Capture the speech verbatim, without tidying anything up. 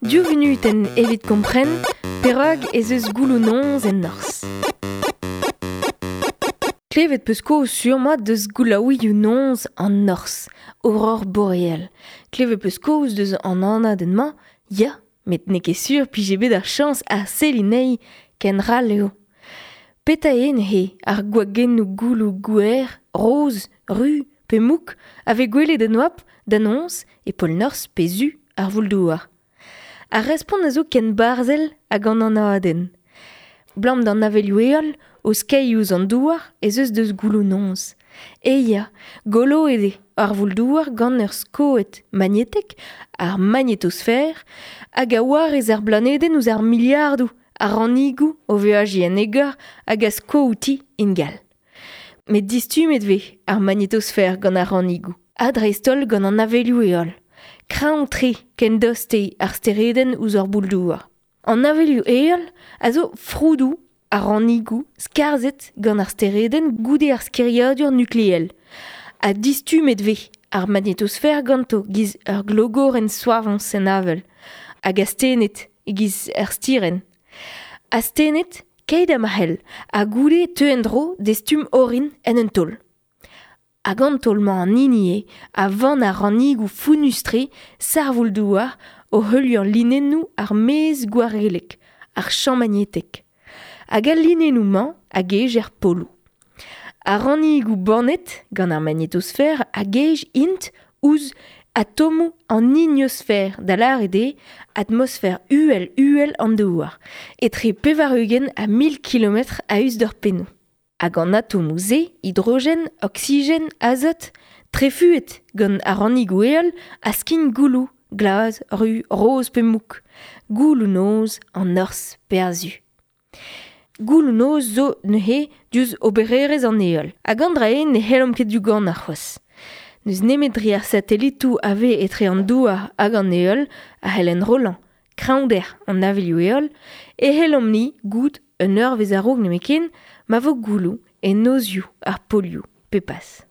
Div vunutenn evit kompren perak ez eus gouloù-noz en norzh. Klevet peus kaoz sur-mat deus goulaouioù-noz an norzh, aurore boréale. Klevet peus kaoz deus an anadenn-mañ, ya, met n'eo ket sur pije bet ar chañs a selliñ anezhi ken ral eo. Petra eo neuze ar gwagennoù gouloù gwer, roz, ruz pe mouk a vez gwelet en oabl da noz e pol norzh pe zu ar voul-douar. Ar respont a zo ken barzhel hag an anadenn. Abalamour d'an avelioù-heol o skeiñ ouzh an douar ez eus deus gouloù-noz. E ya, goloet eo ar voul-douar gant ur skoed magnetek, ar magnetosfer, hag a warez ar blanedenn ouzh ar miliardoù a rannigoù o veajiñ en egor hag a sko outi ingal. Met distummet vez ar magnetosfer gant ar rannigoù, ha dreist-holl gant an avelioù-heol. Kreñv-tre ken tost eo ar steredenn ouzh ar boul-douar. An avelioù-heol a zo froudoù ar rannigoù skarzhet gant ar steredenn goude ar skiriadur nukleel. Ha distummet vez ar magnetosfer ganto giz ur glogorenn soavañs en avel, hag astennet e-giz ur stirenn. Astennet keit ha ma c'hell, ha goude teu en-dro d'e stumm orin en un taol. Hag an taol-mañ an hini eo a vann ar rannigoù founnus-tre sarvoul-douar o heuliañ linennoù ar maez gwarellek, ar champ magnetek. Hag al linennoù-mañ a gej er poloù. Ar rannigoù bannet gant ar magnetosfer a gej int ouzh atomoù an ionosfer, da lâret eo atmosfer uhel-uhel an douar, etre pevar-ugent ha mil kilometr a-us d'ur pennoù. Hag an atomoù-se, hidrogen, oksigen, azot, trefuet gant ar rannigoù-heol a skign gouloù, glas, ruz, roz pe mouk. Gouloù-noz an norzh pe ar su. Gouloù-noz zo neuze diouzh obererezh an heol. Hag an dra-se ne c'hellomp ket diougan c'hoazh. N'eus nemet dre ar satelitoù a vez etre an douar hag an heol a c'hell enrollañ kreñvder an avelioù-heol e c'hellomp-ni goût un eurvezh a-raok nemetken ma vo gouloù e nozioù ar polioù pe pas.